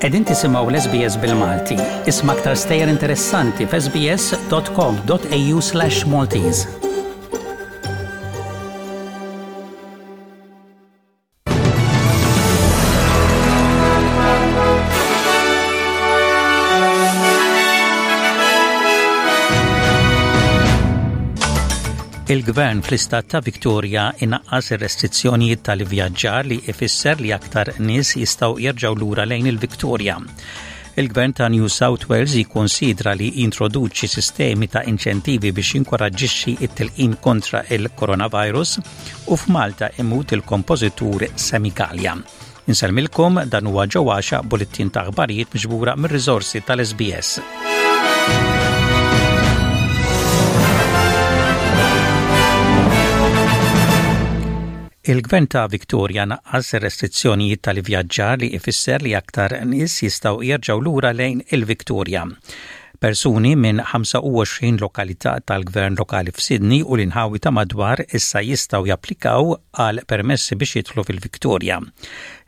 Qegħdin tisimgħu l-SBS bil-Malti. Isma' aktar stejjer interessanti f'sbs.com.au/Maltese. Il-Gvern fl-istat ta' Victoria inaqqas ir-restrizzjonijiet tal-ivvjaġġar li ifisser li aktar nies jistgħu jerġgħu lura lejn il-Victoria. Il-Gvern ta' New South Wales jikkonsidra li jintroduċi sistemi ta' inċentivi biex jinkoraġġixxi t-tilqim kontra il-coronavirus u f'Malta imut il-kompożitur Semi Gallia. Insellmilkom dan huwa ġo għaxa bullettin ta' aħbarijiet miġbura mir-riżorsi tal-SBS. Il-Gvern ta' Victoria naqqas ir-restrizzjonijiet tal-ivvjaġġar li ifisser li aktar nies jistgħu jerġgħu lura lejn il-Victoria. Persuni minn 25 lokalità tal-gvern lokali f'Sydney u l-inħawi ta' madwar issa jistgħu japplikaw għal permessi biex jidħlu fil-Victoria.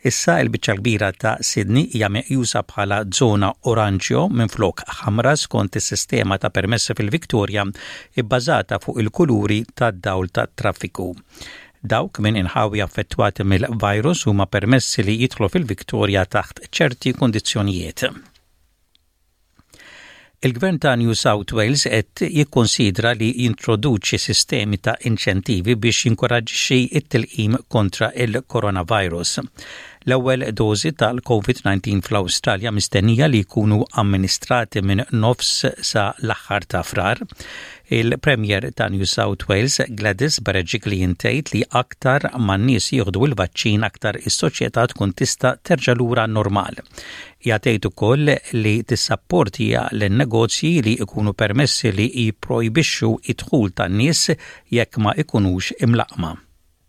Issa l-biċċa l-kbira ta' Sydney hija meqjusa bħala żona oranġjo minflok ħamra skont is-sistema ta' permessi fil-Victoria bbażata fuq il-kuluri tad-dawl tat-traffiku. Dawk minn inħawi affettwati mill-virus huma permessi li jidħlu fil-Victoria taħt ċerti kundizzjonijiet. Il-Gvern ta' New South Wales qed jikkunsidra li jintroduċi sistemi ta' inċentivi biex jinkoraġġixxi t-tilqim kontra il-coronavirus. L-ewwel dożi tal-COVID-19 fl-Awstralja mistennija li jkunu amministrati minn nofs sa l-aħħar ta' Frar. Il-Premier ta' New South Wales, Gladys Berejiklian tgħid li aktar ma n-nies jieħdu l-vaċċin aktar is-soċjetà tkun tista' terġa' lura normal. Hija tgħid ukoll li tissapportja lin-negozji li jkunu permessi li jipprojbixxu d-dħul tan-nies jekk ma jkunux imlaqqma.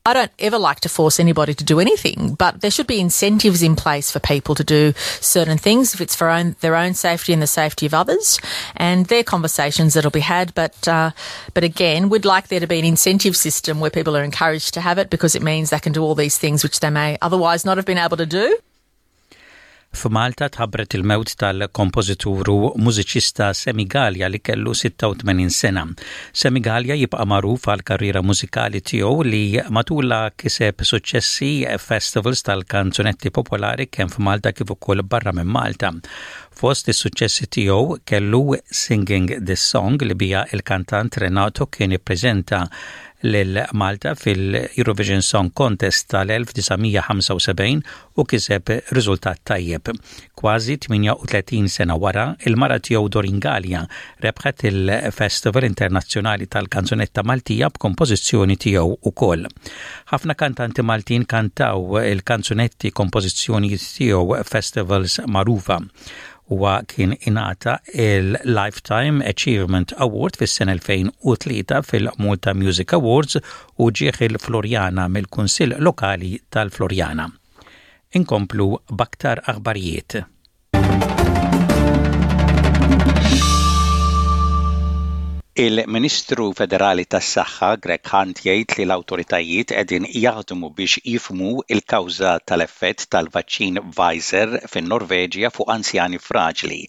I don't ever like to force anybody to do anything, but there should be incentives in place for people to do certain things if it's for own, their own safety and the safety of others. And they're conversations that'll be had, but uh, but again, we'd like there to be an incentive system where people are encouraged to have it because it means they can do all these things which they may otherwise not have been able to do. F'Malta tħabbret il-mewt tal-kompożitur u mużiċista Sammy Galea li kellu 86 sena. Sammy Galea jibqa' magħruf għall-karriera mużikali tiegħu li matulha kiseb suċċessi f'festivals tal-kanzunetti popolari kemm f'Malta kif ukoll barra minn Malta. Fost is-suċċessi tiegħu kellu Singing This Song li biha il-kantant Renato kien ippreżenta lil Malta fil-Eurovision Song Contest tal-1975 u kiseb riżultat tajjeb. Kważi 38 sena wara, il-mara tiegħu Doreen Galea rebħet il-Festival Internazzjonali tal-Kanzunetta Maltija b'kompożizzjoni tiegħu wkoll. Ħafna kantanti Maltin kantaw il-kanzunetti kompożizzjonijiet tiegħu f'festivals magħrufa. Huwa kien ingħata il-Lifetime Achievement Award fis-sena 2003 fil-Malta Music Awards u ġieħ il-Floriana mill-Kunsill Lokali tal-Floriana. Inkomplu b'aktar aħbarijiet. Il-Ministru Federali tas-Saħħa Greg Hunt jgħid li l-awtoritajiet qegħdin jaħdmu biex jifhmu l-kawża tal-effett tal-vaċċin Pfizer fin-Norveġja fuq anzjani fraġli.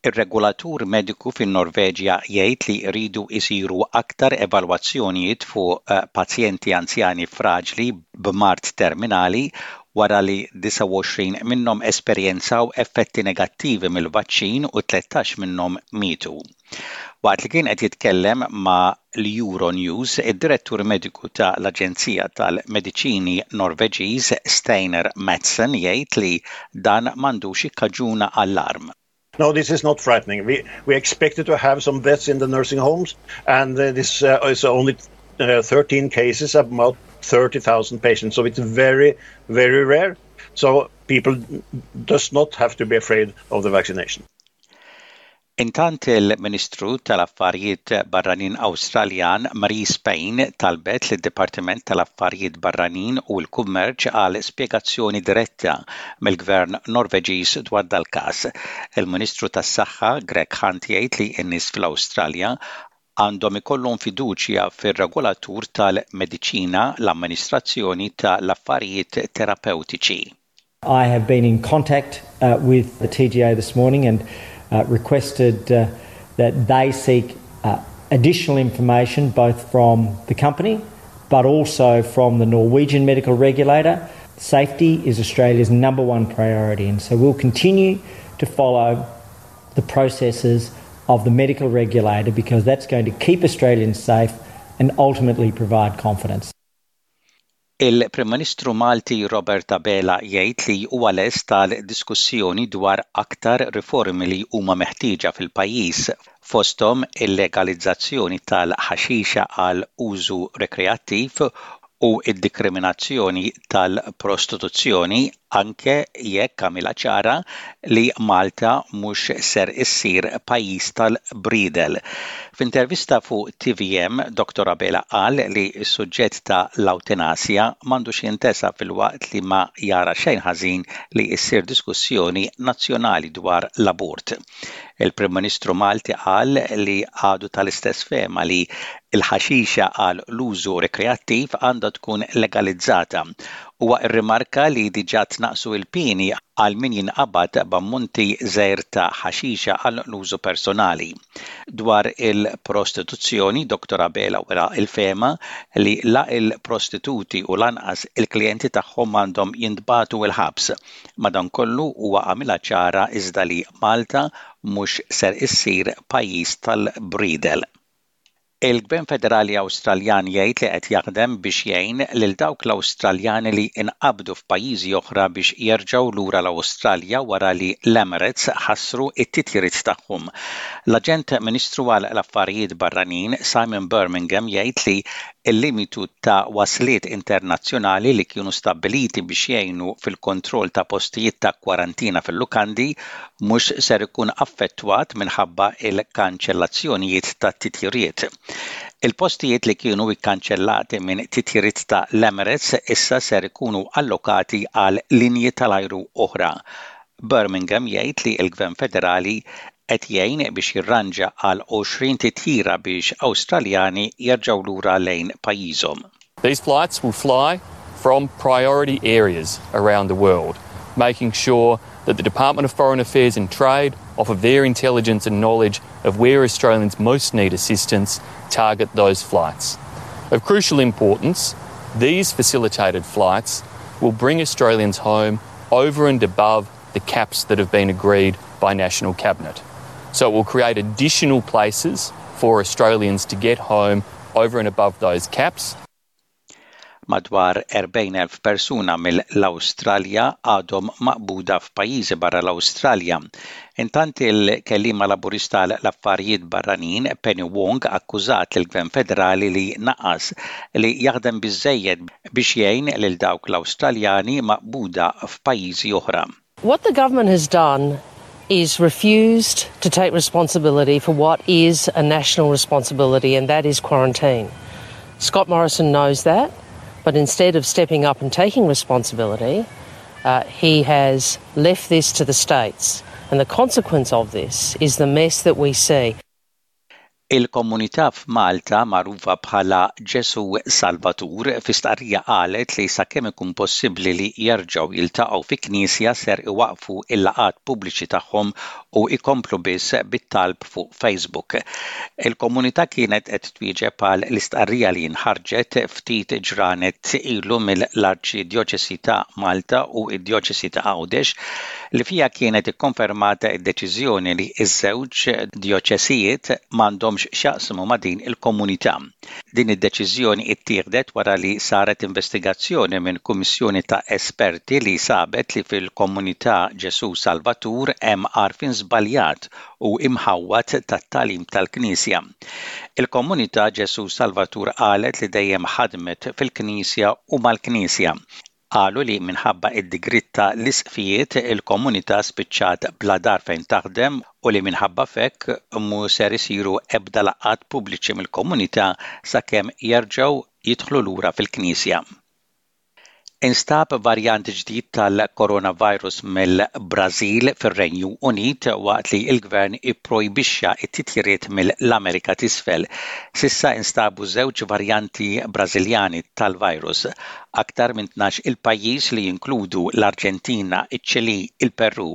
Ir-regulatur mediku fin-Norveġja jgħid li jridu jsiru aktar evalwazzjonijiet fuq pazjenti anzjani fraġli b'mard terminali wara li 29 minnhom esperjenzaw effetti negattivi mill-vaċċin u 13 minnhom mietu. Waqt li kien qed jitkellem ma' l-Euronews, id-Direttur Mediku ta' l-Aġenzija tal-Mediċini Norveġiż Steinar Madsen jgħid li dan m'għandux jikkaġuna allarm. No, this is not frightening. We, we expected to have some deaths in the nursing homes, and uh, this uh, is only uh, 13 cases, about 30,000 patients. So it's very, very rare. So people does not have to be afraid of the vaccination. Intant il-Ministru tal-Affarijiet Barranin Awstraljan Marise Payne talbet lid-Dipartiment tal-Affarijiet Barranin u l-Kummerċ għal spjegazzjoni diretta mill-Gvern Norveġiż dwar dal-każ. Il-Ministru tas-Saħħa Greg Hunt jgħid li n-nies fl-Awstralja għandhom ikollhom fiduċja fir-regolatur tal-mediċina, l-Amministrazzjoni tal-Affarijiet Terapewtiċi. I have been in contact uh, with the TGA this morning and uh, requested uh, that they seek uh, additional information both from the company but also from the Norwegian medical regulator. Safety is Australia's number one priority, and so we'll continue to follow the processes of the medical regulator because that's going to keep Australians safe and ultimately provide confidence. Il-Prim Ministru Malti Robert Abela jgħid li huwa lest għal diskussjoni dwar aktar riformi li huma meħtieġa fil-pajjiż, fosthom il-legalizzazzjoni tal-ħaxixa għal użu rekreattiv u d-dikriminazzjoni tal-prostituzzjoni anke jekk għamilha ċara li Malta mhux ser issir pajjiż tal-briedel. F'intervista fuq tvm, Dottor Abela qal li s-suġġett ta' l-awtenasja m'għandux jintesa filwaqt li ma jara xejn ħażin li ssir diskussjoni nazzjonali dwar l-abort. Il-Prim Ministru Malti qal li għadu tal-istess fehma li l-ħaxixa għal l-użu rekreattiv għandha tkun legalizzata. Huwa rrimarka li diġà tnaqqsu l-pieni għal min jinqabad b'ammonti żgħir ta' ħaxixa għal l-użu personali. Dwar il-prostituzzjoni, Dottor Abela wera l-fehma li la l-prostituti u lanqas il-klijenti tagħhom m'għandhom jintbagħtu l-ħabs. Madankollu huwa għamilha ċara iżda li Malta mhux ser issir pajjiż tal-briedel. Il-Gvern Federali Awstraljan jgħid li qed jaħdem biex jgħin lil dawk l-Awstraljani li nqabdu f'pajjiżi oħra biex jerġgħu lura l-Awstralja wara li l-Emirates ħassru t-titjiriet tagħhom. L-Aġent Ministru għal l-Affarijiet Barranin Simon Birmingham jgħid li Il-limitu ta' wasliet internazzjonali li kienu stabbiliti biex jgħinu fil-kontroll ta' postijiet ta' kwarantina fil-lukandi mhux ser ikun affettwat minħabba l-kanċellazzjonijiet tat-titjiriet. Il-postijiet li kienu kkanċellati minn titjiriet ta' l-Emirates issa ser ikunu allokati għal linji tal-ajru oħra. Birmingham jgħid li l-Gvern Federali qed jgħin biex jirranġa għal 20 titjira biex Awstraljani jerġgħu lura lejn pajjiżhom. These flights will fly from priority areas around the world, making sure that the Department of Foreign Affairs and Trade, off of their intelligence and knowledge of where Australians most need assistance, target those flights. Of crucial importance, these facilitated flights will bring Australians home over and above the caps that have been agreed by National Cabinet. So it will create additional places for Australians to get home over and above those caps. Madwar 40,000 persuna mill-Awstralja għadhom maqbuda f'pajjiżi barra l-Awstralja. Intant il-kelliema Laburista għal l-Affarijiet Barranin, Penny Wong akkużat lill-Gvern Federali li naqas li jaħdem biżżejjed biex jgħin lil dawk l-Awstraljani maqbuda f'pajjiżi oħra. What the government has done is refused to take responsibility for what is a national responsibility and that is quarantine. Scott Morrison knows that, but instead of stepping up and taking responsibility, uh, he has left this to the states. And the consequence of this is the mess that we see. Il-komunità f'Malta magħrufa bħala Ġesù Salvatur fi stqarrija qalet li sakemm ikun possibbli li jerġgħu jiltaqgħu fi knisja ser iwaqqfu l-laqgħat pubbliċi tagħhom u jkomplu biss bit-talb fuq Facebook. Il-komunità kienet qed twieġeb għal l-istqarrija li nħarġet ftit ġranet ilu mill-Arċidjoċesi ta' Malta u d-Djoċesi ta' Għawdex li fiha kienet ikkonfermata d-deċiżjoni li ż-żewġ djoċesijiet m'għandhomx x'jaqsmu ma' din il-komunità. Din id-deċiżjoni ttieħdet wara li saret investigazzjoni minn kummissjoni ta' esperti li sabet li fil-komunità Ġesù Salvatur hemm għarfien żbaljat u imħawwad tat-tagħlim tal-Knisja. Il-komunità Ġesù Salvatur qalet li dejjem ħadmet fil-Knisja u mal-Knisja. Qalu li minħabba d-digriet ta' l-isqfijiet il-komunità spiċċat bla dar fejn taħdem u li minħabba f'hekk mhu ser isiru ebda laqgħat pubbliċi mill-komunità sakemm jerġgħu jidħlu lura fil-knisja. Instab varjant ġdid tal-coronavirus mill-Brażil fir-Renju Unit waqt li l-Gvern ipprojbixxa t-titjiriet mill-Amerika t'Isfel. S'issa instabu żewġ varjanti Brażiljani tal-virus. Aktar minn 12-il pajjiż li jinkludu l-Arġentina, iċ-Ċilì, il-Perù,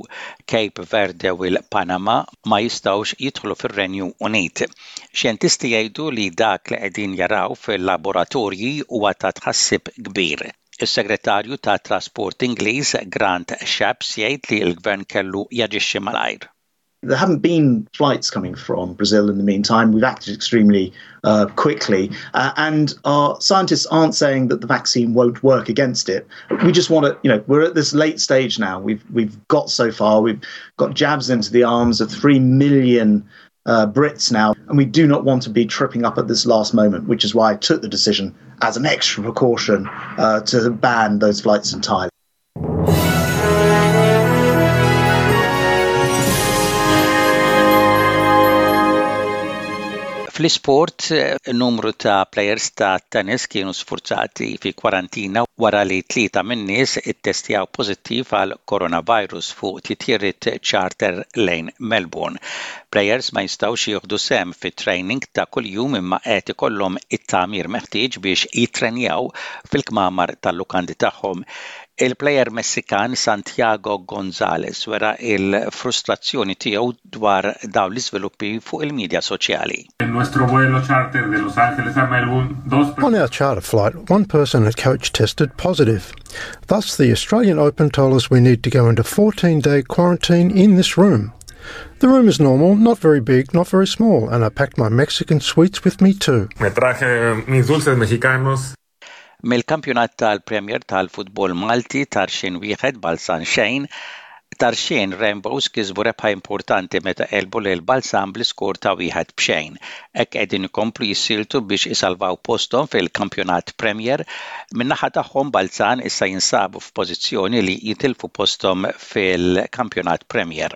Cape Verde u l-Panama ma jistgħux jidħlu fir-Renju Unit. Xjentisti jgħidu li dak li qegħdin jaraw fil-laboratorji huwa ta' tħassib kbir. Is-Segretarju tat-Trasport Ingliż Grant Shapps jgħid li l-Gvern kellu jaġixxi malajr. There haven't been flights coming from Brazil in the meantime. We've acted extremely uh, quickly. Uh, and our scientists aren't saying that the vaccine won't work against it. We just want to, you know, we're at this late stage now. We've, we've got so far. We've got jabs into the arms of 3 million uh, Brits now, and we do not want to be tripping up at this last moment, which is why I took the decision as an extra precaution uh, to ban those flights entirely. Fl-isport, numru ta' plejers ta' tennis kienu sfurzati fi kwarantina wara li tlieta min-nies ittestjaw pożittiv għal coronavirus fuq titjiriet charter lejn Melbourne. Plejers ma jistgħux jieħdu sehem fit-training ta' kuljum imma qed ikollhom it-tagħmir meħtieġ biex jittrenjaw fil-kmamar tal-lukandi tagħhom. Il-plejer Messikan Santiago Gonzalez wera l-frustrazzjoni tiegħu dwar dawn l-iżviluppi fuq il-midja soċjali. On our charter flight, one person at coach tested positive. Thus, the Australian Open told us we need to go into 14-day quarantine in this room. The room is normal, not very big, not very small, and I packed my Mexican sweets with me too. Me traje mis dulces mexicanos. Mill-Kampjonat tal-Premier tal-Futbol Malti Tarxien wieħed Balzan xejn, Tarxien Rainbows kisbu rebħa importanti meta għelbu lil Balzan bl-iskor ta' wieħed b'xejn. Hekk qegħdin ikomplu jissieltu biex isalvaw posthom fil-Kampjonat Premier. Min-naħa tagħhom Balzan issa jinsabu f'pożizzjoni li jitilfu posthom fil-Kampjonat Premier.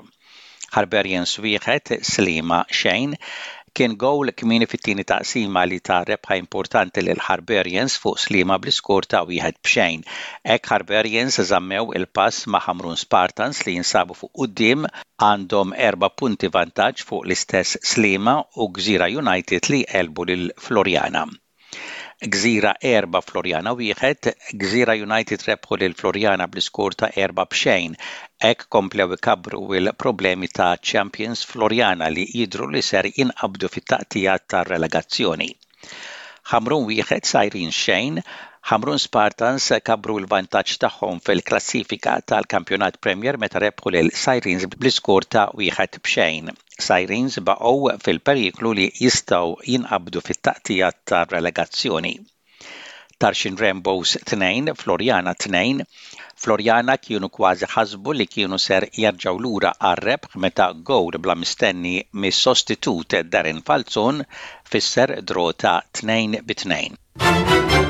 Harbarians wieħed, Sliema xejn. Kien gowl kmieni fit-tieni taqsima li ta rebħa importanti lil Harbarians fuq Sliema bl-iskor ta' wieħed b'xejn. Hekk Harbarians żammew il-pass ma' Ħamrun Spartans li jinsabu fuq quddiem, għandhom erba' punti vantaġġ fuq l-istess Sliema u Gżira United li għelbu lil Floriana. Gżira 4 Floriana 1, Gżira United rebħu lil Floriana bl-iskor ta' 4 b'xejn. Hekk komplew ikabbru l-problemi ta' champions Floriana li jidhru li ser jinqabdu fit-taqtigħa tar-relegazzjoni. Ħamrun 1 Sirens xejn, Ħamrun Spartans kabbru l-vantaġġ tagħhom fil-klassifika tal-Kampjonat Premier meta rebħu lil Sirens bl-iskor ta' wieħed b'xejn. Sirens baqgħu fil-periklu li jistgħu jinqabdu fit-taqtigħa tar-relegazzjoni. Tarxien Rainbows 2, Floriana 2, Floriana kienu kważi ħasbu li kienu ser jerġgħu lura għar-rebħ meta gowl bla mistenni mis-sostitut Darren Falzon fisser draw ta' 2 bi 2.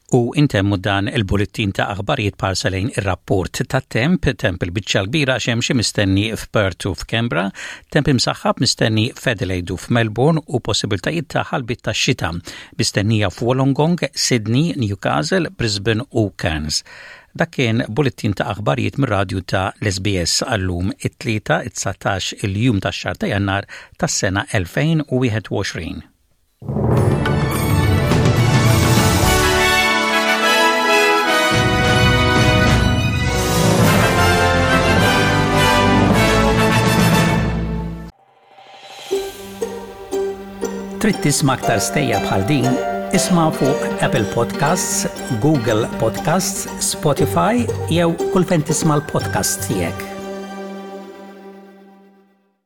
U intemmu dan il-bullettin ta' aħbarijiet parsa lejn ir-rapport ta' temp, temp il-biċċa l-kbira xemxi mistenni f'Perth u f'Kembra, temp imsaħħab mistenni f'Adelaide u f'Melbourne u possibiltajiet ta' ħalbiet ta' xita mistennija f'Wollongong, Sydney, Newcastle, Brisbane u Cairns. Dak kien bullettin ta' aħbarijiet mir-radju ta' l-SBS għal-lum it-Tlieta, it-19 il-jum tax-xahar ta' Jannar tas-sena 2021. Trid tisma' aktar stejjer bħal din? Isma' fuq Apple Podcasts, Google Podcasts, Spotify jew kull fejn tisma' l-podcasts tiegħek.